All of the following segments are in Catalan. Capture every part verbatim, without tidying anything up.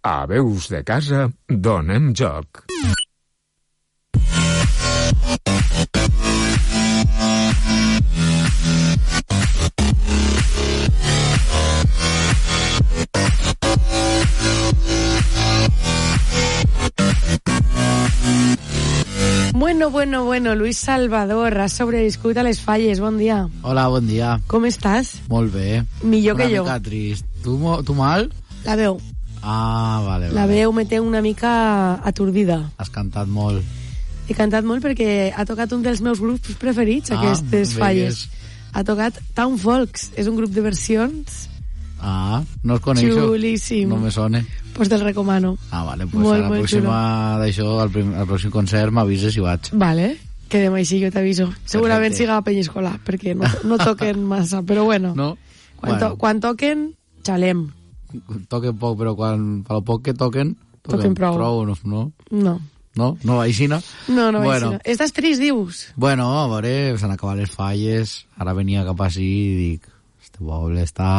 A Veus de Casa donem joc. Bueno, bueno, bueno, Luis Salvador, has sobreviscut a les falles, bon dia. Hola, bon dia. Com estàs? Molt bé. Millor que jo. Una mica trist. Tu, tu mal? La veu. Ah, vale, vale. La veu me té una mica atordida. Has cantat molt. He cantat molt perquè ha tocat un dels meus grups preferits, ah, aquestes falles. Ha tocat Town Folks, és un grup de versions. Ah, no els coneixo. Xulíssim. No me sone. Pues te'l recomano. Ah, vale, pues molt, a la molt pròxima d'això, al, prim, al pròxim concert m'avises i vaig. Vale, quedem així, jo t'aviso. Segurament siga a Penyescola, perquè no, no toquen massa, però bueno. No? Quan, bueno. to, quan toquen, xalem. Toquen poc, però quan, per lo poc que toquen, toquen, toquen prou. prou, no? No? No. No? No va així, no? No, no va bueno. així. Estàs trist, dius? Bueno, a veure, s'han acabat les falles, ara venia cap així i dic, este poble està...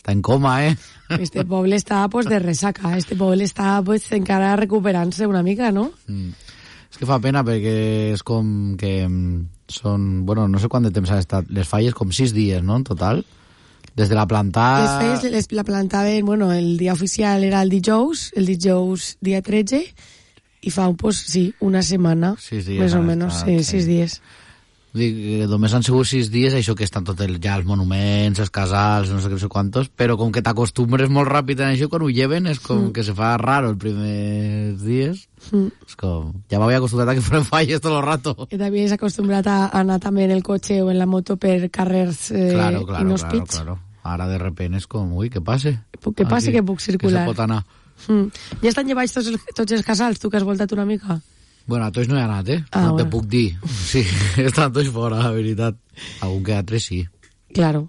Està en coma, eh? Este poble està, pues, de resaca. Este poble està, pues, encara recuperant-se una mica, no? Mm. És que fa pena perquè és com que són... Bueno, no sé quant de temps han estat les falles, com sis dies, no?, en total. Des de la plantada... Les falles les, la plantaven, bueno, el dia oficial era el dijous, el dijous dia tretze, i fa, pues, sí, una setmana, sis dies, més o menys, estat, sí, sí, sis dies. Dic, només han sigut sis dies, això que estan tots ja els monuments, els casals, no sé què, no sé quantos, però com que t'acostumbres molt ràpid en això, quan ho lleven és com mm. que se fa raro els primers dies. Mm. És com, ja m'havia acostumbrat a que fueran falles tot el rato. I t'havies acostumbrat a anar també en el cotxe o en la moto per carrers eh, claro, claro, inhòspits. Claro, claro. Ara de repente és com, ui, què passe? Que passe, que puc circular. Que se pot anar. Mm. Ja estan llevats tots, tots els casals, tu que has voltat una mica? Bueno, a tots no he anat, eh? Ah, no bueno. te puc dir. Sí, estan tots fora, la veritat. Algun que altre sí. Claro.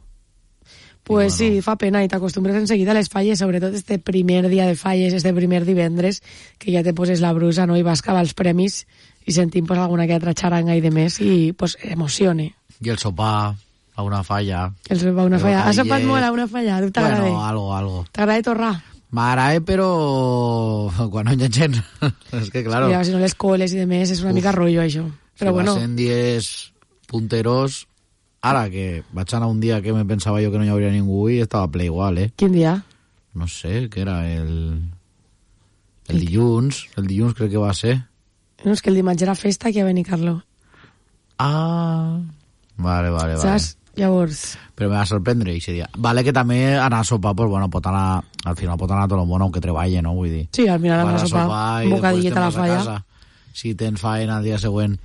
Pues bueno. sí, fa pena, i t'acostumbres enseguida a les falles, sobretot este primer dia de falles, este primer divendres, que ja te poses la brusa, no?, i vas cavar els premis i sentim pues, alguna que altra xaranga i de més, i pues emocione. I el sopar a una falla. El sopar a una falla. Has sopat molt a una falla? Tu t'agrada? Bueno, algo, algo. T'agrada torrar? M'agrada, però quan no hi ha gent. És que, claro... Mira, si no les coles i de més, és una Uf. mica rotllo, això. Però si bueno... va sent dies punteros... Ara, que vaig anar un dia que me pensava jo que no hi hauria ningú i estava ple igual, eh? Quin dia? No sé, que era el... El dilluns. El dilluns crec que va ser. No, és que el dimarts era festa aquí a Benicarló. Ah... Vale, vale, vale. Saps? Llavors... Però me va sorprendre aquest dia. Vale que també anar a sopar, pues bueno, pot anar, al final pot anar tot el món, aunque treballe, no? Vull dir... Sí, al final anar a sopar, un bocadillet a la falla. Si tens faena el dia següent...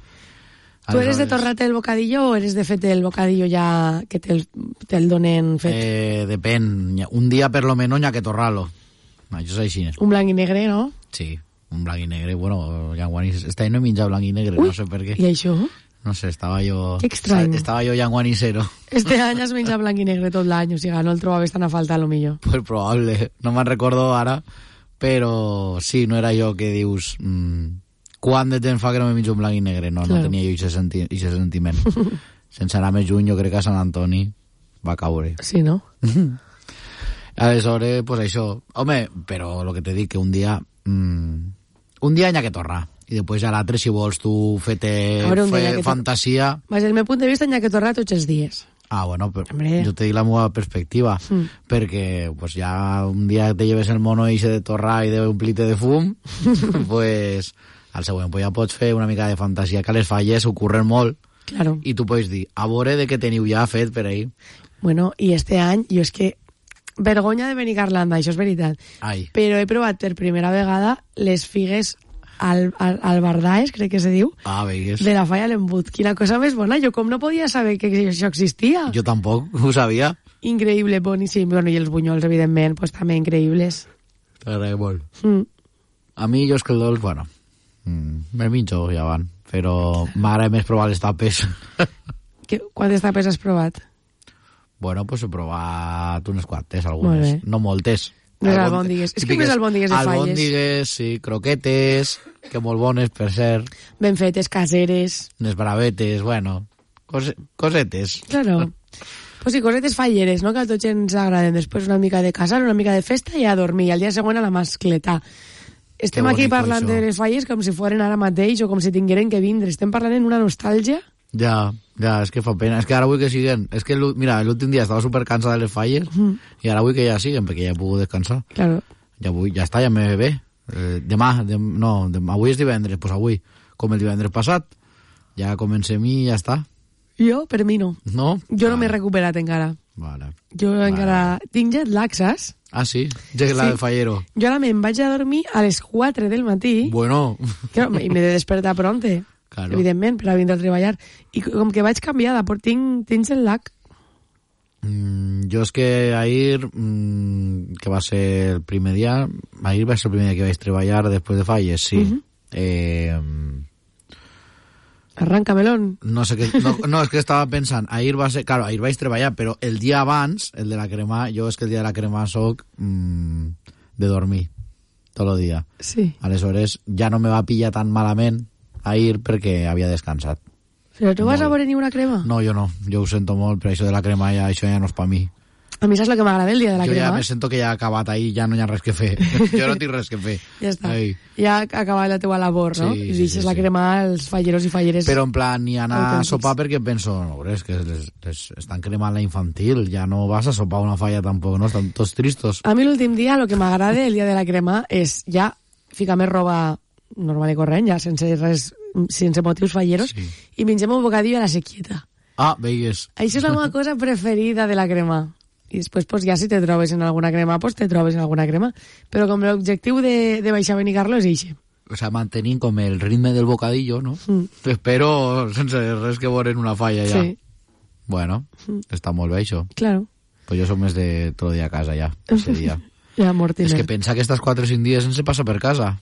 Tu eres de torrar-te el bocadillo o eres de fer-te el bocadillo ja que te'l te donen fet? Eh, depèn. Un dia per lo menos n'hi ha que torrar-lo. Això és així. Un blanc i negre, no? Sí, un blanc i negre. Bueno, llanguaní... Este any no he menjat blanc i negre, Ui, no sé per què. I això? No sé, estava jo... Que estrany. Estava jo llanguanicero. Este any has menjat blanc i negre tot l'any, o sigui, no el trobaves tan a falta, a lo millor. Pues probable. No me'n recordo ara, però sí, no era jo que dius... Mmm, quant de temps fa que no me menjo un blanc i negre? No, claro. No tenia jo aquest senti sentiment. Sense anar més juny, jo crec que a Sant Antoni va caure. Sí, no? Aleshores, pues això. Home, però el que t'he dit, que un dia... Mmm, un dia n'hi ha que tornar. I després a l'altre, si vols tu fer-te fer fantasia... Des del meu punt de vista, n'hi ha que tornar tots els dies. Ah, bueno, però jo te dic la meva perspectiva, mm. perquè pues, ja un dia te lleves el mono i se de torrar i de un plite de fum, pues, al següent pues, ja pots fer una mica de fantasia, que a les falles ocorren molt, claro. I tu pots dir, a veure de què teniu ja fet per ahí. Bueno, i este any, jo és que vergonya de Benicarlanda, això és veritat. Ai. Però he provat per primera vegada les figues al, al, al Bardaes, crec que se diu, ah, veigues. De la falla l'embut. Quina cosa més bona, jo com no podia saber que això existia. Jo tampoc ho sabia. Increïble, boníssim. Bueno, i els bunyols, evidentment, pues, també increïbles. T'agrada molt. Mm. A mi, jo és que el dolç, bueno, mm, me minjo ja van, però m'agrada més provar les tapes. Que, quantes tapes has provat? Bueno, pues he provat unes quantes, algunes. No moltes. Les albòndigues. És que més albòndigues de falles. Albòndigues, sí, croquetes, que molt bones, per cert. Ben fetes, caseres. Unes bravetes, bueno, cose, cosetes. Claro. Pues sí, cosetes falleres, no?, que a tots ens agraden. Després una mica de casar, una mica de festa i a dormir. I al dia següent a la mascleta. Estem Que aquí bonico, parlant això. de les falles com si foren ara mateix o com si tingueren que vindre. Estem parlant en una nostàlgia. Ja, ja, és que fa pena. És que ara vull que siguen. És que, l'ú- mira, l'últim dia estava supercansada de les falles Mm. i ara vull que ja siguen, perquè ja he pogut descansar. Claro. Ja vull, ja està, ja me ve bé. Eh, demà, dem, no, demà, avui és divendres, doncs pues avui, com el divendres passat, ja comencem i ja està. Jo, per mi no. No? Jo no Vale, m'he recuperat encara. Vale. Jo Vale. encara tinc jet lag, saps? Ah, sí? Ja que la Sí. del fallero. Jo ara me'n vaig a dormir a les quatre del matí. Bueno, Claro, i m'he de despertar pronte, Claro. evidentment, per a vindre a treballar. I com que vaig canviada, però tinc, tinc jet lag. mm, jo és que ahir, mm, que va ser el primer dia, ahir va ser el primer dia que vaig treballar després de falles, sí. Mhm. eh, Arranca melón. no sé què, no, no, és que estava pensant, ahir va ser, claro, ahir vaig treballar, però el dia abans, el de la crema, jo és que el dia de la crema soc mm, de dormir, tot el dia. Sí. Aleshores, ja no me va pillar tan malament ahir perquè havia descansat. Però tu vas Molt. a veure ni una crema? No, jo no, jo ho sento molt, però això de la crema ja, això ja no és per mi. A mi saps el que m'agrada el dia de la jo ja crema? me sento que ja ha acabat ahir, ja no hi ha res que fer. Jo no tinc res que fer. Ja està. Ei. Ja ha acabat la teua labor, no? Sí, I sí, deixes sí, la sí. crema als falleros i falleres. Però en plan, ni anar a Autèntics. sopar perquè penso, no, és que les, les estan cremant la infantil, ja no vas a sopar una falla tampoc, no? Estan tots tristos. A mi l'últim dia, el que m'agrada el dia de la crema és ja ficar més roba normal i corrent, ja sense res, sense motius falleros, Sí. i mengem un bocadillo a la sequieta. Ah, veigues. Això és la meva cosa preferida de la crema. I després, pues, ja si te trobes en alguna crema, pues te trobes en alguna crema. Però com l'objectiu de, de baixar a Benicarlo és eixe. O sea, mantenint com el ritme del bocadillo, no? Mm. T'espero sense res que veure en una falla ja. Sí, Bueno, està molt bé això. claro. Pues jo som més de tot el dia a casa ja, ese dia. Ja, Mortimer. És que pensa que estas quatre o cinc dies sense passa per casa.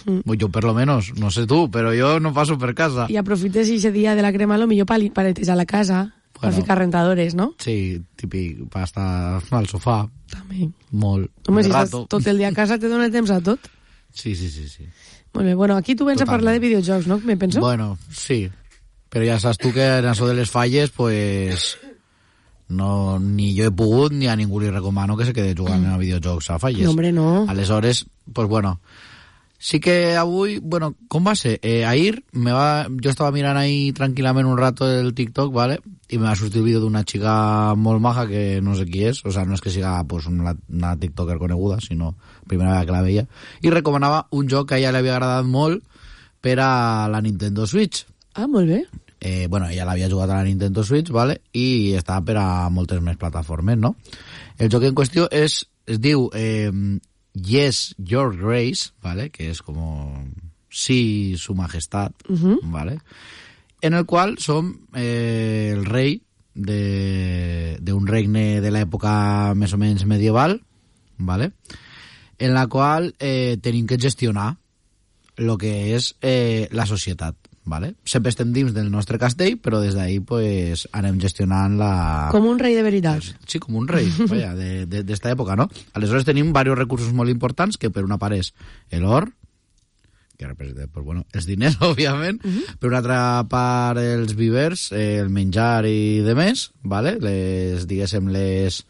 Mm. Jo per lo menos, no sé tu, però jo no passo per casa. I aprofites eixe dia de la crema, lo millor pa, li- pa netejar la casa, per Bueno. ficar rentadores, no? Sí, típic, per estar al sofà, També. molt. Home, un si estàs rato. tot el dia a casa te dona temps a tot. Sí, sí, sí, sí. Molt bé, bueno, aquí tu vens a Totalment. parlar de videojocs, no? Me penso. Bueno, sí. Però ja saps tu que en això de les falles, pues, no, ni jo he pogut ni a ningú li recomano que se quede jugant a videojocs a falles. No, hombre, no. Aleshores, pues bueno, sí que avui, bueno, com va ser? Eh, ahir me va, jo estava mirant ahí tranquil·lament un rato el TikTok, ¿vale? I me va sortir el vídeo d'una xica molt maja que no sé qui és, o sea, no és que siga pues, una, una tiktoker coneguda, sinó primera vegada que la veia, i recomanava un joc que a ella li havia agradat molt per a la Nintendo Switch. Ah, molt bé. Eh, bueno, ella l'havia jugat a la Nintendo Switch, ¿vale? I estava per a moltes més plataformes, no? El joc en qüestió és, es diu eh, Yes, Your Grace, ¿vale? Que és com sí, su majestad, Uh-huh. ¿vale? En el qual som eh, el rei de, de un regne de l'època més o menys medieval, ¿vale? En la qual eh, tenim que gestionar lo que és eh, la societat, ¿vale? Sempre estem dins del nostre castell, però des d'ahí pues, anem gestionant la... Com un rei de veritat. Sí, com un rei, vaya, de, de, d'esta època, no? Aleshores tenim diversos recursos molt importants, que per una part és l'or, que representa, pues, bueno, els diners, òbviament, uh -huh. per una altra part els vivers, eh, el menjar i de més, ¿vale? Les, diguéssim, les...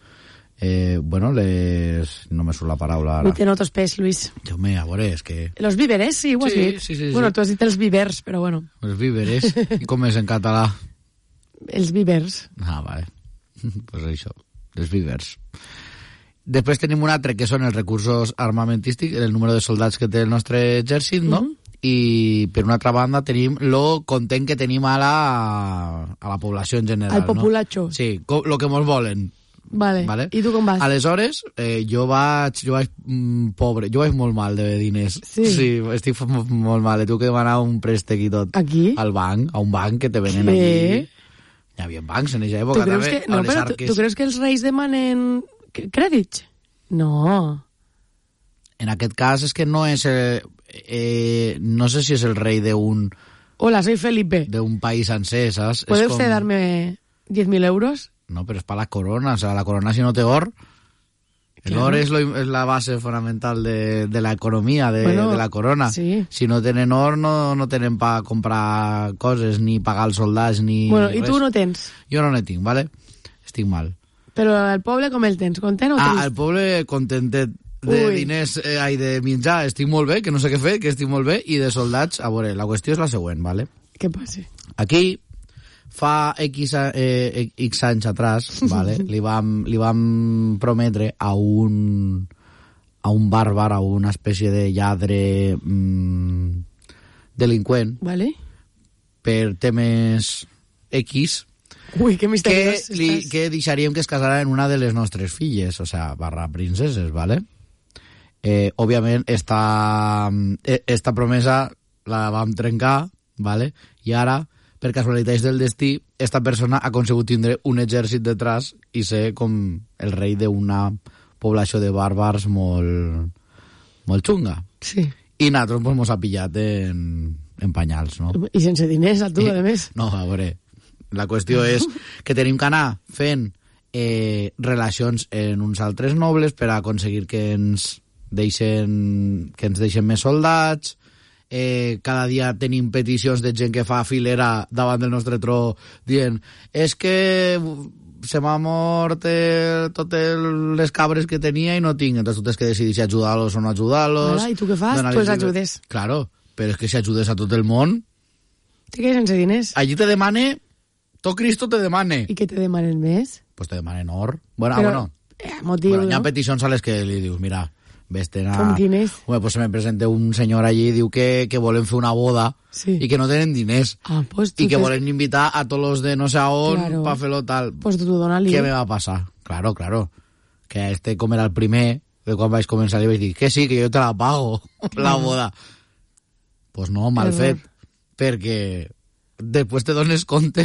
Eh, bueno, les... No me surt la paraula ara. Avui te noto espès, Luis. Déu meu, a veure, és que... Los víveres, sí, ho has Sí, dit. sí, sí, Bueno, sí. tu has dit els vivers, però bueno, Els víveres. I com és en català? els vivers. Ah, vale. Pues això, els vivers. Després tenim un altre, que són els recursos armamentístics, el número de soldats que té el nostre exèrcit, no? Mhm. I per una altra banda tenim lo content que tenim a la, a la població en general, Al populacho. no? Sí, co- lo que mos volen. Vale. Vale. I tu com vas? Aleshores, eh, jo vaig, jo vaig mm, pobre, jo vaig molt mal de diners. Sí. Sí, estic f- molt mal. He tingut que demanar un préstec i tot. Aquí? Al banc, a un banc que te venen Sí. allí. Hi havia bancs en aquella Tu època, creus també, que, no, a les però tu, arques. tu creus que els reis demanen cr- crèdits? No. En aquest cas és que no és... Eh, eh, no sé si és el rei d'un Hola, soy Felipe. d'un país sencer, saps? ¿Puede És usted com... darme diez mil euros? No, però és per la corona. O sea, la corona si no té or... El Claro. or és, lo, és la base fonamental de, de la economia de, Bueno, de la corona. sí. Si no tenen or, no, no tenen per comprar coses, ni pagar els soldats, ni Bueno, i res. tu no tens. Jo no ne tinc, ¿vale? estic mal. Però el poble com el tens? Content o trist? Ah, el poble contentet de Ui. diners, eh, ai, de menjar, estic molt bé, que no sé què fer, que estic molt bé, i de soldats, a veure, la qüestió és la següent, ¿vale? Què passa? Aquí, fa X, eh, X anys atrás, ¿vale? li, vam, li vam prometre a un, a un bàrbar, a una espècie de lladre mmm, delinqüent, Vale. per temes X, Ui, que que, misteriós li, estàs. que deixaríem que es casara en una de les nostres filles, o sea, barra princeses, ¿vale? Eh, òbviament, esta, eh, esta promesa la vam trencar, ¿vale? I ara, per casualitats del destí, esta persona ha conseguit tindre un exèrcit detrás i ser com el rei d'una població de bàrbars molt, molt xunga. Sí. I nosaltres pues, mos ha pillat en, en panyals, no? I sense diners, a tu, Eh, a més. No, a veure, la qüestió és que tenim que anar fent eh, relacions en uns altres nobles per a aconseguir que ens deixen, que ens deixen més soldats. Eh, cada dia tenim peticions de gent que fa filera davant del nostre tro dient és que se m'ha mort eh, totes les cabres que tenia i no tinc, entonces tu tens que decidir si ajudar-los o no ajudar-los. Ara, i tu què fas? Donar-los Pues llibre- ajudes. Claro, però és que si ajudes a tot el món, Te quedes sense diners. allí te demane, tot Cristo te demane. I què te demanen més? Pues te demanen or. Bueno, Però, ah, bueno. eh, motiu, Bueno, hi ha no? peticions a les que li dius, mira, vés-te'n a... Com quines? Bueno, pues se me presenta un senyor allí i diu que, que volen fer una boda Sí. i que no tenen diners Ah, pues tu i que tens- volen invitar a tots los de no sé a on Claro. para fer-lo tal. Pues tu dona-li. Què me va passar? Claro, claro. Que este, com era el primer, de quan vaig començar, li vaig dir que sí, que jo te la pago, la boda. Pues no, mal Error. fet. Perquè després te dones compte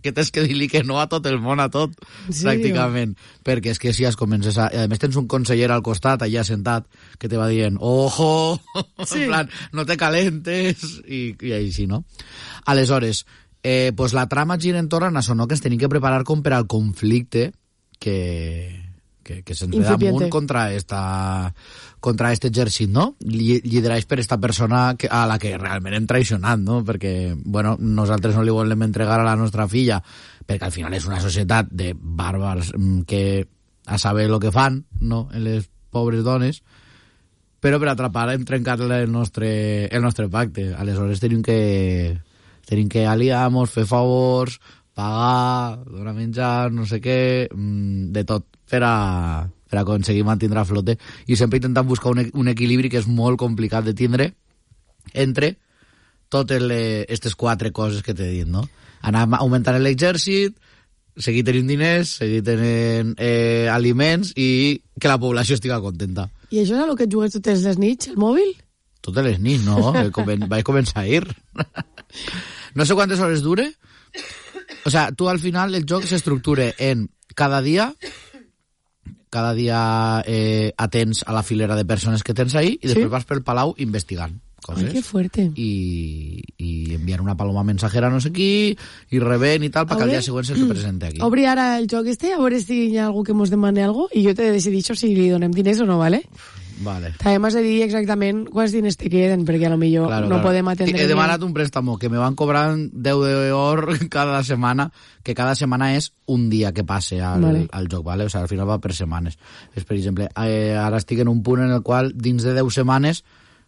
que tens que dir-li que no a tot el món, a tot, En sèrio? pràcticament. Perquè és que si es comences a... I a més tens un conseller al costat, allà sentat, que te va dient, ojo, Sí. en plan, no te calentes, i, i així, no? Aleshores, eh, pues la trama gira entorn a això, no? Que ens tenim que preparar com per al conflicte que, que, que se'ns ve Incipiente. damunt contra esta contra este exèrcit, no? Lli- Liderats per esta persona que, a la que realment hem traicionat, no? Perquè, bueno, nosaltres no li volem entregar a la nostra filla, perquè al final és una societat de bàrbars mm, que a saber el que fan, no?, en les pobres dones, però per atrapar hem trencat el nostre, el nostre pacte. Aleshores tenim que tenim que aliar-nos, fer favors, pagar, donar menjar, no sé què, mm, de tot, per a, per a aconseguir mantenir a flote. I sempre intentant buscar un, e- un equilibri que és molt complicat de tindre entre totes aquestes quatre coses que t'he dit, no? Anar augmentant l'exèrcit, seguir tenint diners, seguir tenint eh, aliments i que la població estigui contenta. I això és el que et jugues totes les nits, el mòbil? Totes les nits, no? Eh, comen- Vaig començar a ir. No sé quantes hores dure. O sea, tu al final el joc s'estructura en cada dia cada dia eh, atents a la filera de persones que tens ahí i després Sí? vas pel palau investigant coses. Ai, que fuerte. I, i enviar una paloma mensajera no sé qui i rebent i tal perquè al Obre- dia següent se'ls presente aquí. Obri ara el joc este, a veure si hi ha algú que mos demane algo i jo te decidixo si li donem diners o no, ¿vale? Vale. També m'has de dir exactament quants diners te queden, perquè a lo millor Claro, no claro. podem atendre... He bien. demanat un préstamo que me van cobrant deu d'or cada setmana, que cada setmana és un dia que passe al, Vale. al joc, ¿vale? O sea, al final va per setmanes. És, per exemple, eh, ara estic en un punt en el qual, dins de deu setmanes,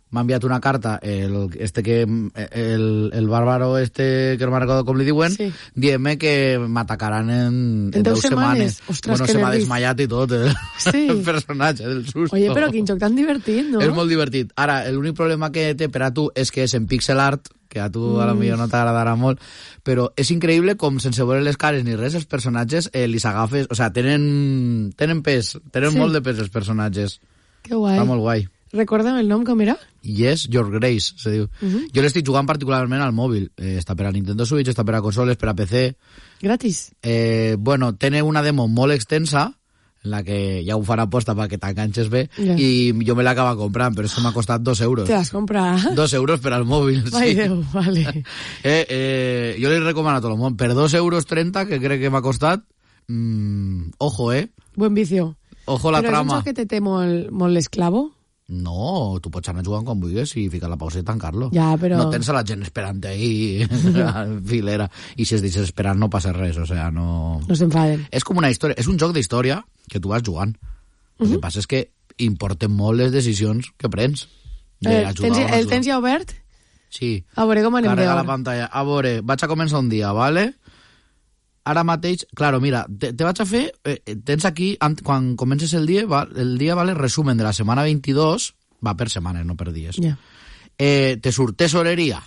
m'ha enviat una carta el, este que, el, el bàrbaro este, que no me'n recordo com li diuen, Sí. dient-me que m'atacaran en, En en deu deu setmanes? setmanes. Ostres, bueno, que se m'ha nervis. desmayat i tot, el, Sí. el personatge del susto. Oye, però quin joc tan divertit, no? És molt divertit. Ara, l'únic problema que té per a tu és que és en pixel art, que a tu mm. a lo millor no t'agradarà molt, però és increïble com sense veure les cares ni res, els personatges eh, li s'agafes... O sea, tenen, tenen pes, tenen Sí. molt de pes els personatges. Que guai. Està molt guai. Recorda'm el nom, com era? Yes, Your Grace, se diu. Uh -huh. Jo l'estic jugant particularment al mòbil. Eh, està per a Nintendo Switch, està per a consoles, per a P C. Gratis. Eh, bueno, té una demo molt extensa, en la que ja ho fan aposta perquè t'enganxes bé, Ja. i jo me l'acaba comprant, però és que m'ha costat dos euros. Te l'has comprat? Dos euros per al mòbil, Ai, sí. Déu, vale. Eh, eh, jo li recomano a tot el món. Per dos euros trenta, que crec que m'ha costat, mmm, ojo, eh? Buen vicio. Ojo la Però és un trama. joc que te té molt, molt l'esclavo? No, tu pots anar jugant quan vulguis i ficar la pausa i tancar-lo. Ja, però... No tens a la gent esperant ahí en filera. I si es deixes esperant no passa res, o sea, no... No s'enfaden. És com una història, és un joc d'història que tu vas jugant. El uh-huh. que passa és que importen molt les decisions que prens. Eh, tens, el tens ja obert? Sí. A veure com anem Carrega d'hora. la pantalla. A veure, vaig a començar un dia, ¿vale? Ara mateix, claro, mira, te, te vaig a fer, eh, tens aquí, quan comences el dia, va, el dia, vale, resumen de la setmana veintidós, va per setmanes, no per dies. Yeah. Eh, te surt tesoreria,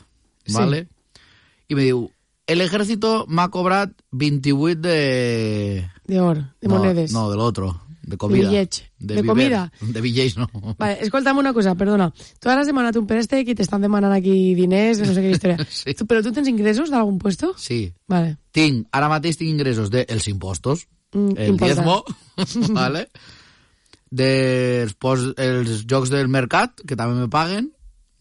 vale? Sí. I me diu, el ejército m'ha cobrat vint-i-vuit de... De or, de no, monedes. No, de l'otro, de comida. De bitllets. De, de viver, comida. De bitllets, no. Vale, escolta'm una cosa, perdona. Tu ara has demanat un préstec i t'estan demanant aquí diners, no sé què història. Sí. Tu, però tu tens ingressos d'algun puesto? Sí. Vale. Tinc, ara mateix tinc ingressos dels impostos, Mm, el important. diezmo, vale? Dels pos, els jocs del mercat, que també me paguen.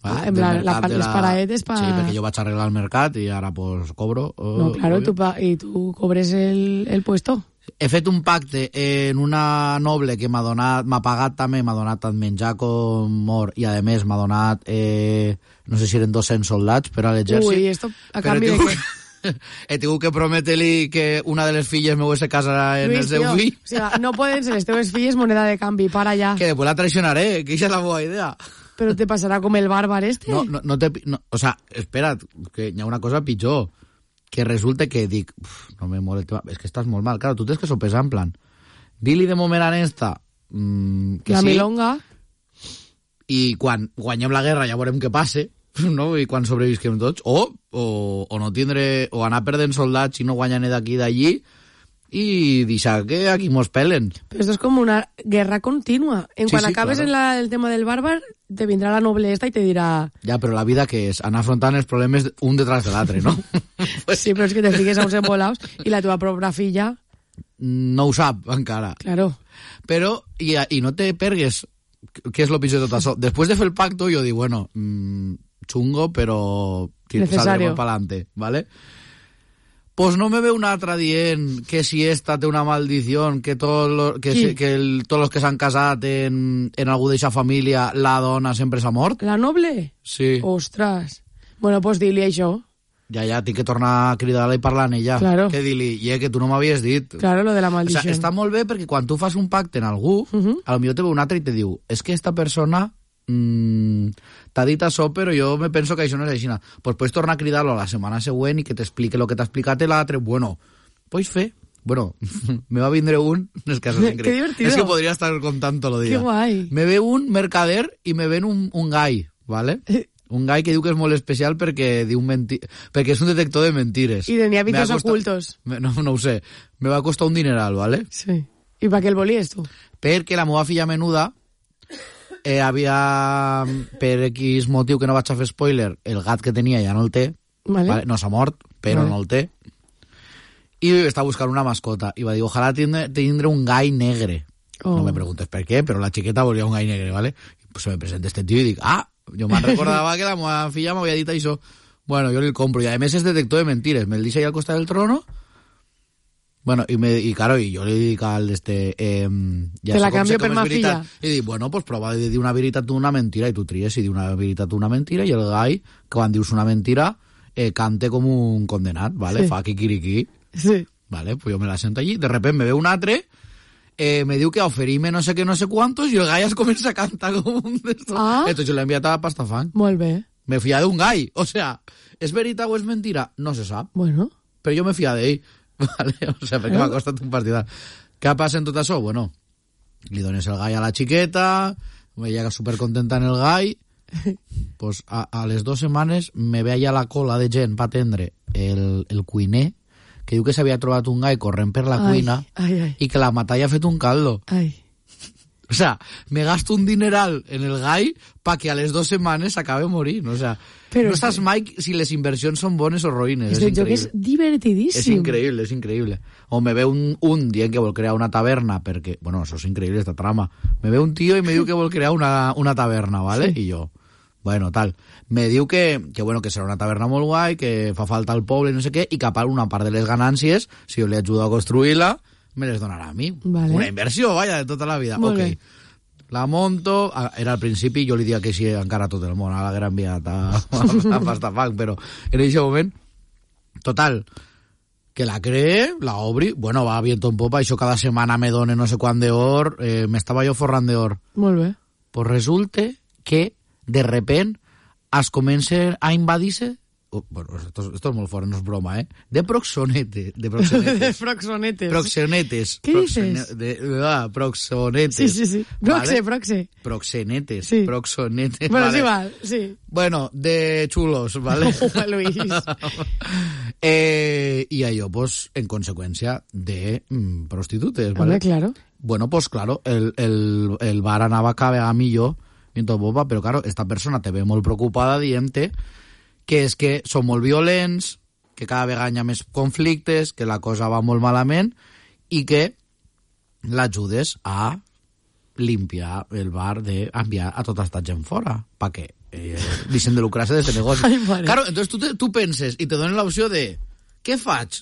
Vale? Ah, en Del plan, mercat la part- de les paraetes pa- Sí, perquè jo vaig arreglar el mercat i ara pues cobro. Oh, No, claro, obvio. tu pa i tu cobres el, el puesto. He fet un pacte en una noble que m'ha donat, m'ha pagat també, m'ha donat tant menjar com mort i a més m'ha donat, eh, no sé si eren dos-cents soldats per a l'exèrcit. Ui, esto a Però canvi he de tingut, què? he tingut que prometre-li que una de les filles meu se casarà en Luis, el seu tío, fill. o sea, no poden ser les teves filles moneda de canvi, para ya. Que después la traicionaré, que esa es la buena idea. Pero te pasará como el bárbaro este. No, no, no te... No, o sea, espera't, que hi ha una cosa pitjor. Que resulta que dic, uf, no me mola el tema, és que estàs molt mal. Claro, tu tens que sopesar en plan, di-li de moment a esta mmm, que la sí, milonga. i quan guanyem la guerra ja veurem què passe, no? I quan sobrevisquem tots, o, o, o no tindre, o anar perdent soldats i no guanyar ni d'aquí d'allí, i deixar que aquí mos pelen. Pero esto es como una guerra continua. En Sí, cuanto sí, acabes claro. en la, el tema del bárbaro, te vendrá la noble esta y te dirá... Ja, però la vida que és? Anar afrontant els problemes un detrás de l'altre, no? Pues sí, pero es que te fiques a uns embolados y la tua propia filla... No ho sap encara. Claro. Però, i, i no te pergues, què és el pitjor de tot això? Després de fer el pacto, jo dic, bueno, mmm, chungo, però Necesario. saldremos pa'lante, ¿vale? Pues no me ve un altre dient que si esta té una maldició, que, tot lo, que, Qui? se, que el, tots els que s'han casat en, en algú d'eixa família, la dona sempre s'ha mort. La noble? Sí. Ostras. Bueno, pues dile això. Ja, ja, tinc que tornar a cridar-la i parlar amb ella. Claro. Que dir-li, yeah, que tu no m'havies dit. Claro, lo de la O maldició. sea, està molt bé perquè quan tu fas un pacte en algú, uh -huh. a lo millor te ve un altre i te diu, és es que esta persona mmm, t'ha dit això, però jo me penso que això no és així. Pues puedes tornar a cridar-lo a la setmana següent i que t'explique el que t'ha explicat l'altre. Bueno, pots fer. Bueno, me va vindre un... És que és Qué increïble. divertido. És que podria estar contant tot el dia. Qué guai. Me ve un mercader i me ven un, un gai, ¿vale? Un gai que diu que és molt especial perquè diu menti... perquè és un detector de mentires. Y tenía Me vicios ha costat- ocultos. Me- No, no ho sé. Me va costar un dineral, ¿vale? Sí. ¿Y para qué el volíes tú? Perquè la meva filla menuda eh, havia, per X motiu que no vaig a fer spoiler, el gat que tenia ja no el té, Vale. ¿vale? No s'ha mort, però Vale. no el té, i està buscant una mascota, i va dir, ojalà tindre, tindre un gai negre. Oh. No me preguntes per què, però la xiqueta volia un gai negre, ¿vale? I pues se me presenta este tío i dic, ah, jo me'n recordava que la meva filla m'havia dit això. Bueno, jo li el compro, i a més és detector de mentires, me'l deixa ahí al costat del trono. Bueno, y, me, y claro, y yo le dic al este... Eh, ja Te la sé com canvio sé com per és ma veritat. filla. I dic, bueno, pues prova de dir una veritat o una mentira, i tu tries si diu una veritat o una mentira, i el gai, que quan dius una mentira, eh, cante com un condenat, ¿vale? Sí. Fa quiquiriquí, Sí. ¿vale? Pues yo me la sento allí, de repente me ve un atre, eh, me diu que oferime no sé qué, no sé cuántos, i el gai es comença a cantar com un d'estos. Ah. Entonces yo le he enviat a Pastafán. Molt bé. Me fia d'un gai. O sea, ¿es veritat o és mentira? No se sap. Bueno. Però jo me fia d'ell, vale? O sea, perquè m'ha costat un partidar. Què passa en tot això? Bueno, li dones el gai a la xiqueta, ella supercontenta en el gai, pues a, a les dues setmanes me ve allà la cola de gent per atendre el, el cuiner, que diu que s'havia trobat un gai corrent per la Ai, cuina ai, ai. i que la matalla ha fet un caldo. Ai. O sea, me gasto un dineral en el gai pa que a les dues setmanes s'acabe morint. O sea, Però no és saps que- mai si les inversions són bones o roïnes. Este és joc és increïble. divertidíssim. És increïble, és increïble. O me ve un, un dient que vol crear una taverna perquè... Bueno, això és increïble, esta trama. Me ve un tio i me diu que vol crear una, una taverna, ¿vale? Sí. I jo, bueno, tal. Me diu que, que, bueno, que serà una taverna molt guai, que fa falta al poble i no sé què, i que a part una part de les ganàncies, si jo li ajudo a construir-la, me les donarà a mi. Vale. Una inversió, vaya, de tota la vida. Molt Ok. bé. la monto, era al principi, jo li dia que així encara tot el món, ara l'haguera enviat a, a, a Pastafang, però en aquest moment, total, que la cree, la obri, bueno, va viento en popa, això cada setmana me done no sé quant d'or, eh, m'estava jo forrant d'or. Molt bé. Pues resulta que, de repent, es comença a invadir-se. Oh, bueno, esto, esto es molt fort, no és broma, eh? De proxonete. De proxonetes. De proxonetes. Proxenetes. ¿Qué Proxone, dices? De, ah, proxonetes. Sí, sí, sí. Proxe, ¿vale? proxe. Proxenetes. Sí. Proxonetes. Bueno, vale. sí, val, sí. Bueno, de chulos, ¿vale? Oh, Luis. eh, y a ello, pues, en consecuencia de mm, prostitutes, ¿vale? Hombre, claro. Bueno, pues claro, el, el, el bar anava cada vegada millor, i tot boba, però claro, esta persona te ve molt preocupada dient-te que és que són molt violents, que cada vegada hi ha més conflictes, que la cosa va molt malament i que l'ajudes a limpiar el bar d'enviar a tota esta gent fora, perquè eh, deixen de lucrar-se de este negoci. Ai, mare. Claro, entonces tu, te, tu penses i te donen l'opció de què faig?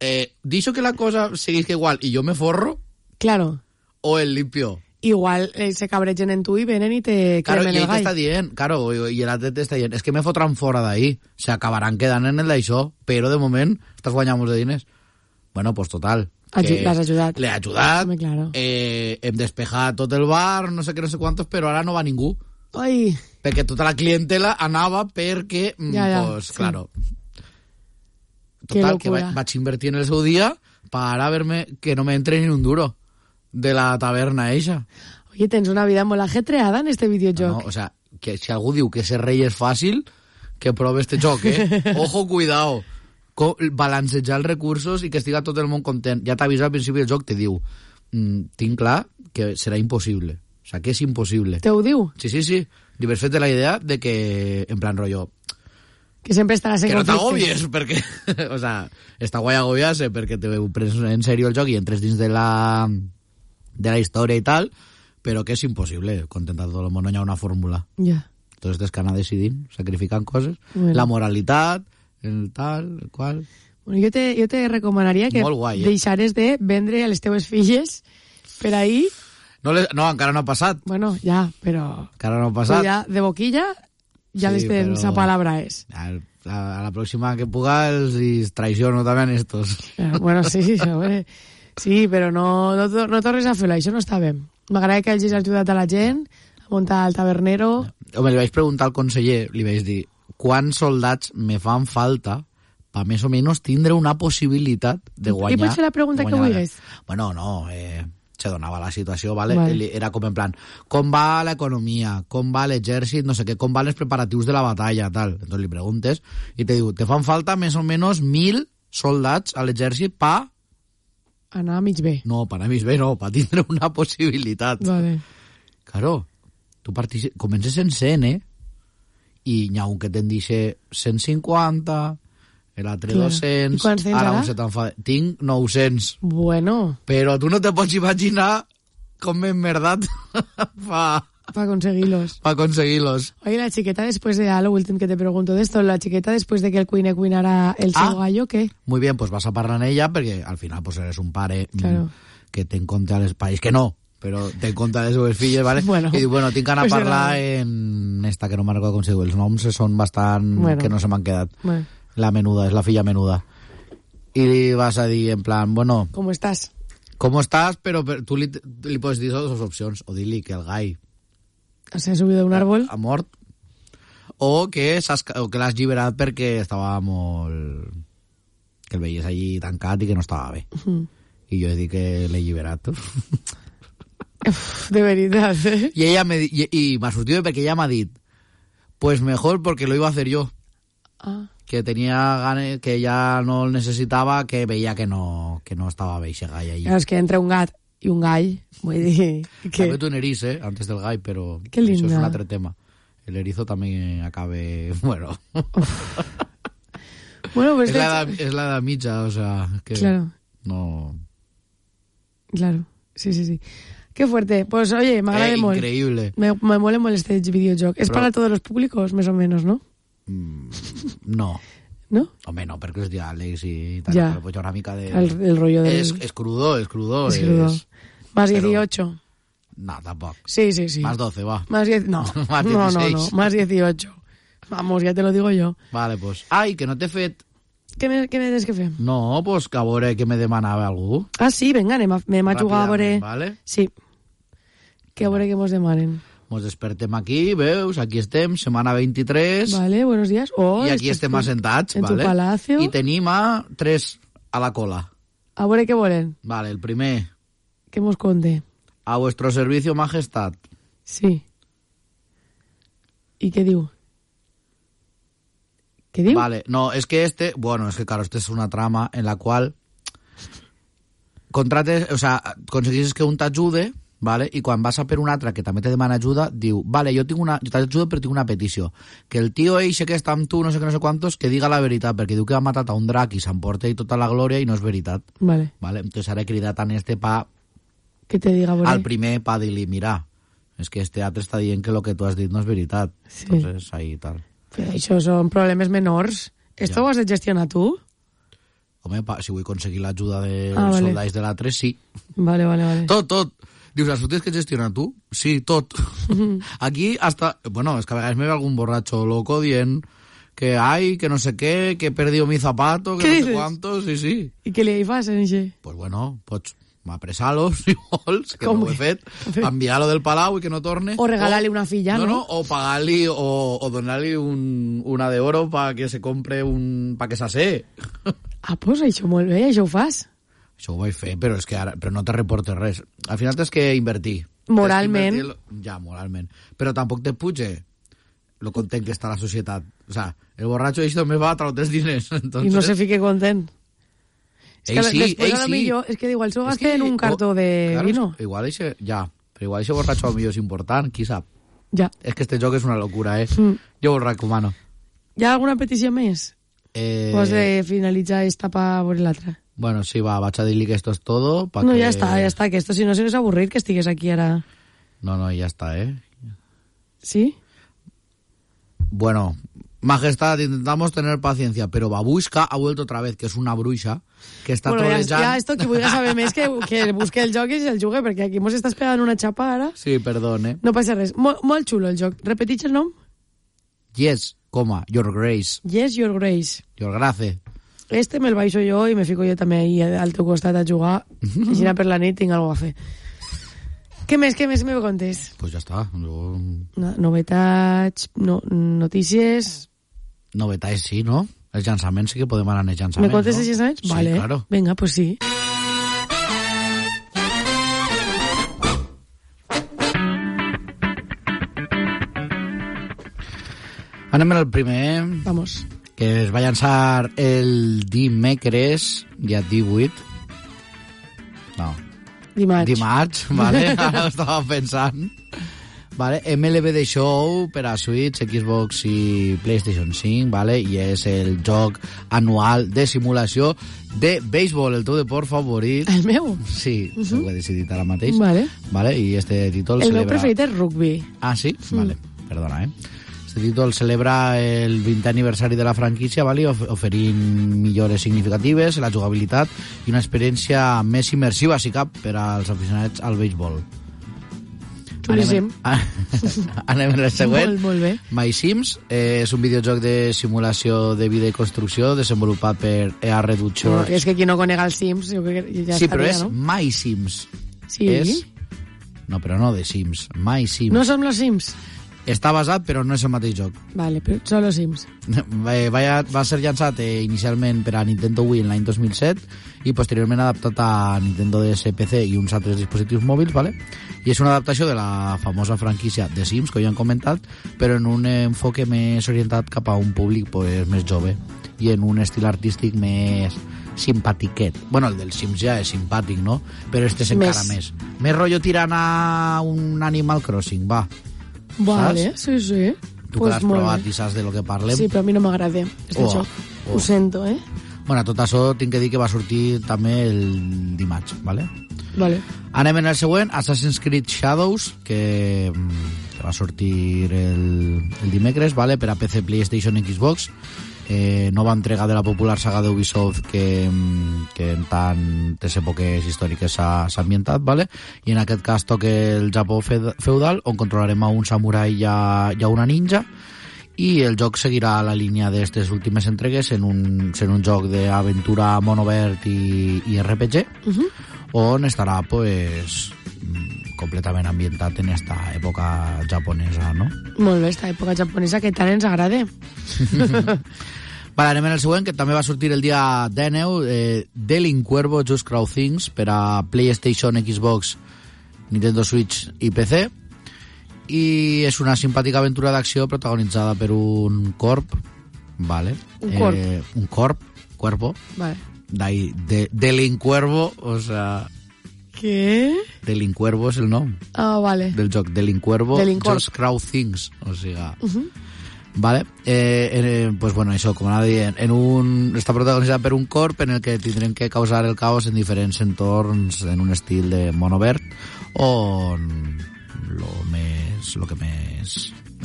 Eh, deixo que la cosa seguisca igual i jo me forro Claro. o el limpio? Igual eh, se cabregen en tu i venen i te Claro, cremen i el ell gall. t'està dient, claro, i l'altre t'està dient, és que me fotran fora d'ahí, se acabaran quedant en el d'això, però de moment estàs guanyant molts de diners. Bueno, pues total. Aju- l'has ajudat. L'he ajudat, Home, claro. eh, hem despejat tot el bar, no sé què, no sé quantos, però ara no va ningú, Ai, perquè tota la clientela anava perquè, mm, Ja, ja, pues, sí. claro. Qué Total, que locura. va, vaig invertir en el seu dia para verme que no me entre ni un duro de la taverna eixa. oye, tens una vida molt ajetreada en este No, videojoc. o sea, que si algú diu que ser rei és fàcil, que prove este joc, eh? Ojo, cuidao. Co balancejar els recursos i que estiga tot el món content. Ja t'avisa al principi del joc, te diu, mm, tinc clar que serà impossible. O sea, que és impossible. Te ho diu? Sí, sí, sí. Li vas fet la idea de que, en plan rollo, Que sempre estaràs en que no conflicte. t'agobies, perquè, o sea, està guai agobiar-se perquè te prens en sèrio el joc i entres dins de la, de la història i tal, però que és impossible contentar tot el món, no hi ha una fórmula. Ja. Entonces tens que anar decidint, sacrificant coses, Bueno. la moralitat, el tal, el qual... Bueno, jo te, jo te recomanaria que Molt guai, eh? deixares de vendre a les teves filles per ahí. No, les, no, encara no ha passat, Bueno, ja, però... encara no ha però passat. ja de boquilla ja Sí, les tens però- a palabra és. A, a, a la pròxima que puga els i traiciono també a estos. Però, bueno, sí, sí, sí, sí, però no, no, to- no tornes a fer-ho, això no està bé. M'agrada que hagis ajudat a la gent a muntar el tabernero. Home, li vaig preguntar al conseller, li vaig dir, quants soldats me fan falta per més o menys tindre una possibilitat de I guanyar... pots fer la pregunta de que guanyar la- vulguis. Bueno, no, eh, se donava la situació, ¿vale? Vale. Era com en plan, com va l'economia, com va l'exèrcit, no sé què, com van els preparatius de la batalla, tal. Entonces li preguntes i te diu, te fan falta més o menys mil soldats a l'exèrcit pa... Anar a mig bé. No, per a mi bé, no, per tindre una possibilitat. Vale. Claro, tu partici... comences en cent, eh? I n'hi ha un que te'n dice cent cinquanta, l'altre Clar. dos-cents, I quants tens ara ara? un se t'enfada. Tinc nou-cents. Bueno, Però tu no te pots imaginar com m'he emmerdat pa, para conseguirlos. pa aconseguir-los. Oye, la chiqueta después de, a lo último que te pregunto de esto, la chiqueta después de que el cuine cuinara el Ah. seu gallo, ¿qué? Muy bien, pues vas a parlar amb ella perquè al final pues eres un pare mm, Claro. que té en compte els païs, que no, però té en compte les seves filles, ¿vale? Bueno, I diu, bueno, tinc d'anar a pues parlar era- en esta, que no me'n recordo com se diu. Els noms són bastant... Bueno. que no se m'han quedat. Bueno, La menuda, és la filla menuda. I li vas a dir, en plan, bueno, ¿cómo estás? ¿cómo estás? Però per, tu li, li pots dir dues opcions. O dir-li que el gai ¿Se ha subido de un árbol? ha mort, o que s'has- o que l'has alliberat perquè estava molt... que el veies allí tancat i que no estava bé. Mm. I jo he dit que l'he alliberat. Uf, de verdad, ¿eh? I ella me, di- i, i m'ha sortit bé perquè ella m'ha dit, pues mejor porque lo iba a hacer yo. Ah, Que tenía ganes, que ya no el necesitaba, que veía que no, que no estaba bé ese gall allí. claro, es que entre un gat y un gall, vull dir També que... tu un eriç, eh, antes del gall, però Que això és linda. un altre tema. El erizo també acabe... Bueno, Bueno, pues... és la, edad, és la edad mitja, o sea, que Claro, no... claro, sí, sí, sí. Qué fuerte. Pues oye, m'agrada Eh, molt. increïble. Me, me mola molt este videojoc. Es Però- para todos los públicos, más o menos, ¿no? Mm, no, ¿No? home, no, perquè els diàlegs i tal, Ja. però pues, hi ha una mica de... El, el rollo del... És, és crudo, és crudo. es crudo. És... Más pero- dieciocho. No, tampoc. Sí, sí, sí. Más doce, va. Más diez... No, Más no, no, dieciséis. no, más dieciocho. Vamos, ya te lo digo yo. Vale, pues... Ai, que no t'he fet... Què me, què me tens que fer? No, pues que a veure què me demanava algú. Ah, sí, vinga, anem a, anem a jugar a veure... Ràpidament, vale? Sí. Que a veure què mos demanen. Mos despertem aquí, veus? Aquí estem, setmana vint-i-tres. Vale, buenos días. Oh, I aquí estàs estem tu- assentats, en vale? tu palacio. I tenim a tres a la cola. A veure què volen. Vale, el primer, Que mos conte. a vuestro servicio, majestad. Sí. I què diu? Què diu? Vale, no, es que este, bueno, es que claro, este es una trama en la cual contrates, o sea, aconseguisses que un t'ajude, vale? I quan vas a per un altre que també te demana ajuda, diu, vale, jo tinc una, jo t'ajudo però tinc una petició, que el tio eixe que està amb tu, no sé què, no sé quantos, que diga la veritat, perquè diu que ha matat a un drac i s'emporta i tota la glòria i no és veritat, Vale. vale? Entonces ara he cridat a este pa, Que te diga, a veure. al primer pa dir-li, mira, és que este altre està dient que lo que tu has dit no és veritat. Sí. Entonces, ahí tal. Però això són problemes menors. Esto Ja. ho has de gestionar tu? Home, pa, si vull aconseguir l'ajuda dels Ah, vale. soldats de l'altre, sí. Vale, vale, vale. Tot, tot. Dius, això tens que gestionar tu? Sí, tot. Aquí hasta... Bueno, es que a vegades me ve algún borracho loco dient que hay, que no sé qué, que he perdido mi zapato, que ¿Qué no sé dices? cuántos, sí, sí. I què li fas, en això? Pues bueno, pots apressar-los, si vols, que Com? no ho he fet, enviar-lo del palau i que no torne. O regalar-li una filla, no? no? No, o pagar-li, o, o donar-li un, una de oro para que se compre un... para que s'assé. Ah, pues això molt bé, això ho fas. Això ho vaig fer, però és que ara però no te reportes res. Al final tens que invertir. Moralment. Tens que invertir- Ja, moralment. Però tampoc te puge lo content que està la societat. O sea, el borratxo això també va a traure els diners. Entonces... I no se fique content. És Ell que sí, després ell a lo sí. millor, és que igual s'ho És gaste que- en un cartó de claro, vino. Igual eixe, ja, però igual això borratxo al millor és important, qui sap. Ja. És que este joc és una locura, eh? Mm. Jo ho recomano. Hi ha alguna petició més? Eh... O has de finalitzar esta pa veure l'altra? Bueno, sí, va, vaig a dir-li que esto es todo. Pa No, que... ja està, ja està, que esto si no se nos avorrit que estigues aquí ara. No, no, ya está, eh? Sí? Bueno, Majestad, intentamos tener paciencia, pero Babushka ha vuelto otra vez, que es una bruixa, que està Bueno, ja, trolejant... ja esto que vulgui saber més que, que busque el joc i el jugue, perquè aquí mos estàs pegant una xapa ara. Sí, perdón, eh? No passa res. Mol, molt xulo el joc. Repetix el nom? Yes, coma, your grace, Yes, Your Grace. your grace. Este me'l baixo jo i me fico jo també ahí al teu costat a jugar. I si per la nit tinc alguna a fer. Què més, què més me contes? Pues ya está. Yo... No, novetats, no, notícies... Novetats, sí, no? Els llançaments sí que podem anar als Me llançaments, contes no? els llançaments? Sí, Vale. claro. Venga, pues sí. Anem al primer, Vamos. que es va llançar el dimecres, dia divuit. No, Dimarts. dimarts, vale? Ara ho estava pensant. Vale, M L B The Show per a Switch, Xbox i PlayStation cinc, vale? I és el joc anual de simulació de béisbol, el teu deport favorit. El meu? Sí, uh -huh. ho he decidit ara mateix. Vale. Vale, i este títol El meu celebra... preferit és rugby. Ah, sí? Vale, perdona, eh? Este títol celebra el vintè aniversari de la franquícia, vale? Of oferint millores significatives, la jugabilitat i una experiència més immersiva, si cap, per als aficionats al béisbol. Xulíssim. Anem, anem en el següent. Molt, molt bé. My Sims eh, és un videojoc de simulació de vida i construcció desenvolupat per E A Reductions. No, és que qui no conega els Sims, jo crec que ja sí, estaria, però és no? My Sims. Sí. És... No, però no de Sims. My Sims. No som los Sims? Està basat, però no és el mateix joc. Vale, però són los Sims. Va, va, va ser llançat eh, inicialment per a Nintendo Wii en l'any dos mil set i posteriorment adaptat a Nintendo D S, P C i uns altres dispositius mòbils, ¿vale? I és una adaptació de la famosa franquícia de Sims, que ja han comentat, però en un enfoque més orientat cap a un públic pues, més jove i en un estil artístic més simpatiquet. Bueno, el del Sims ja és simpàtic, no? Però este és encara Més. més. Més rotllo tirant a un Animal Crossing, va. Vale, sí, sí. Tu Pues que l'has molt provat bé. i saps de lo que parlem. Sí, però a mi no m'agrada este Oh, joc. oh. Ho sento, eh? Bueno, tot això tinc que dir que va sortir també el dimarts, ¿vale? Vale. Anem en el següent, Assassin's Creed Shadows, que, mm, que va sortir el, el dimecres, ¿vale? Per a P C, PlayStation i Xbox. eh, nova entrega de la popular saga d'Ubisoft que, que en tantes èpoques històriques s'ha, s'ha ambientat, ¿vale? I en aquest cas toca el Japó feudal, on controlarem a un samurai i a, i a una ninja, i el joc seguirà la línia d'aquestes últimes entregues en un, en un joc d'aventura món obert i, i R P G, uh-huh. on estarà pues, completament ambientat en esta època japonesa, no? Molt bé, esta època japonesa que tant ens agrada. Vale, anem en el següent, que també va sortir el dia dinou, eh, Delin Cuervo Just Crow Things per a PlayStation, Xbox, Nintendo Switch i P C, i és una simpàtica aventura d'acció protagonitzada per un corp, vale? Un corp. Eh, un corp, cuerpo, vale. D'ahí, de, Delin Cuervo, o sea... Què? Delin Cuervo és el nom. Ah, vale. Del joc, Delin Cuervo Just Crow Things, o sigui... Uh-huh. Vale, eh, eh, pues bueno, això, com anava dient, en un, està protagonitzat per un corp en el que tindrem que causar el caos en diferents entorns en un estil de món obert, on lo més, lo que més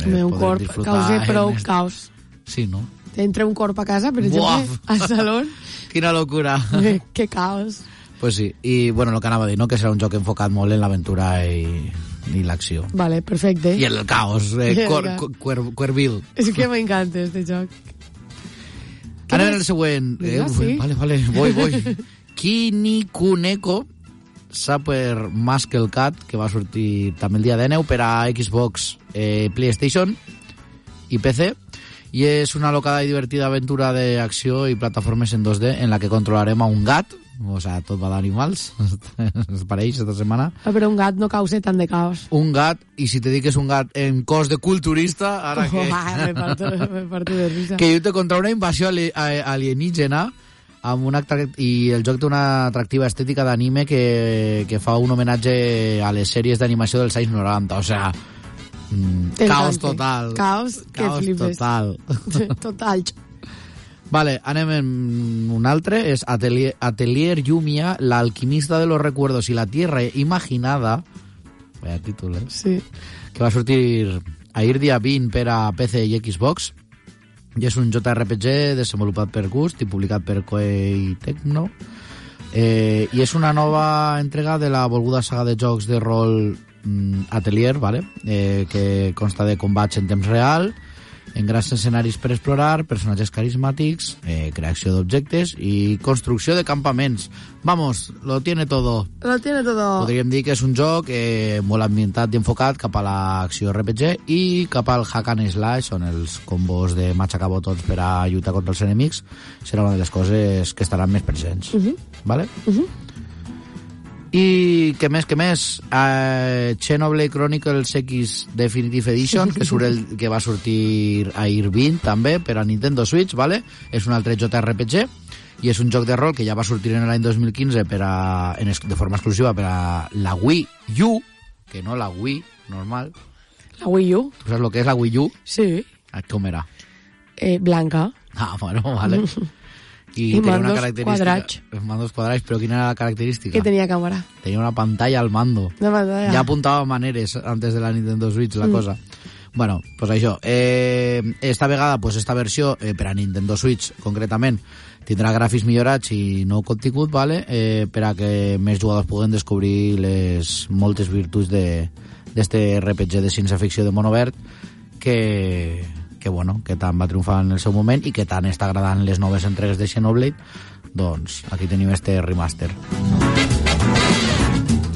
eh, un corp causa prou est... caos. Sí, no? Entra un corp a casa, per exemple, Buaf. al salón. Quina locura. Que caos. Pues sí, i bueno, el que anava a dir, no? Que serà un joc enfocat molt en l'aventura i, i l'acció. Vale, perfecte. I el caos, eh, cor, cuer, cuervil. És que m'encanta este joc. Anem en el següent. Eh, ah, sí? Vale, vale, voy, voy. Kinikuneko Super Muscle Cat, que va sortir també el dia dinou per a Xbox, eh, PlayStation i P C, i és una locada i divertida aventura d'acció i plataformes en dos D en la que controlarem a un gat, o sea, tot va d'animals, es pareix esta setmana. Ah, però un gat no causa tant de caos. Un gat, i si te dic que és un gat en cos de culturista, ara oh, que... Ah, me parto, me parto de risa. Que lluita contra una invasió alienígena, amb un atract... i el joc té una atractiva estètica d'anime que, que fa un homenatge a les sèries d'animació dels anys noranta, o sea... Mm, caos total. Caos que caos flipes. total. Total. Vale, anem en un altre, és Atelier, Atelier Yumiya, la alquimista de los recuerdos y la tierra imaginada, vaya títol, eh? Sí. Que va sortir ahir dia vint per a P C i Xbox, i és un J R P G desenvolupat per Gust i publicat per Koei Tecmo, eh, i és una nova entrega de la volguda saga de jocs de rol mm, Atelier, vale? eh, que consta de combats en temps real, en grans escenaris per explorar, personatges carismàtics, eh, creació d'objectes i construcció de campaments. Vamos, lo tiene todo. Lo tiene todo. Podríem dir que és un joc eh, molt ambientat i enfocat cap a l'acció R P G i cap al hack and slash, on els combos de matxacar botons per a lluitar contra els enemics serà una de les coses que estaran més presents. Uh-huh. Vale? Uh-huh. I què més, què més? Uh, Xenoblade Chronicles X Definitive Edition, que, surt el, que va sortir ahir vint també per a Nintendo Switch, vale? És un altre J R P G i és un joc de rol que ja va sortir en l'any dos mil quinze per a, en, de forma exclusiva per a la Wii U, que no la Wii normal. La Wii U? Tu saps el que és la Wii U? Sí. Com era? Eh, blanca. Ah, bueno, vale. I, I tenia mandos una característica, quadrats. Mandos quadrats, però quina era la característica? Que tenia càmera. Tenia una pantalla al mando. Una pantalla. Ja apuntava maneres antes de la Nintendo Switch, la mm. cosa. Bueno, pues això. Eh, esta vegada, pues esta versió, eh, per a Nintendo Switch, concretament, tindrà gràfics millorats i nou contingut, vale? eh, per a que més jugadors puguen descobrir les moltes virtuts d'este R P G de ciència-ficció de món obert que... que, bueno, que tant va triomfar en el seu moment i que tant està agradant les noves entregues de Xenoblade, doncs aquí tenim este remaster.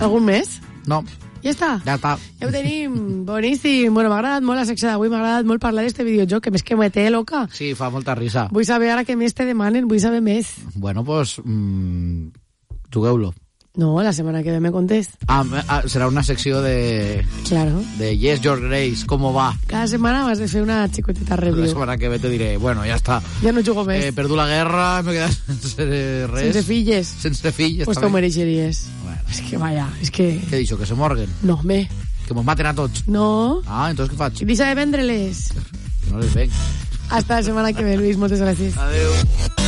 Algun més? No. Ja està? Ja està. Ja ho tenim. Boníssim. Bueno, m'ha agradat molt la secció d'avui, m'ha agradat molt parlar d'este videojoc, que més que me té loca. Sí, fa molta risa. Vull saber ara què més te demanen, vull saber més. Bueno, pues, mmm, jugueu-lo. No, la setmana que ve me contest. Ah, ah, serà una secció de... Claro. De Yes, Your Grace, ¿cómo va? Cada setmana vas de fer una xicoteta review. La setmana que ve te diré, bueno, ja està. Ja no jugo més. He eh, perdut la guerra, m'he quedat sense res. Sense filles. Sense filles. Pues t'ho mereixeries. Bueno. És que vaya, és que... Què he dit, que se morguen? No, me. Que mos maten a tots? No. Ah, entonces què faig? I deixa de vendre-les. No les venc. Hasta la setmana que ve, Luis, moltes gràcies. Adéu.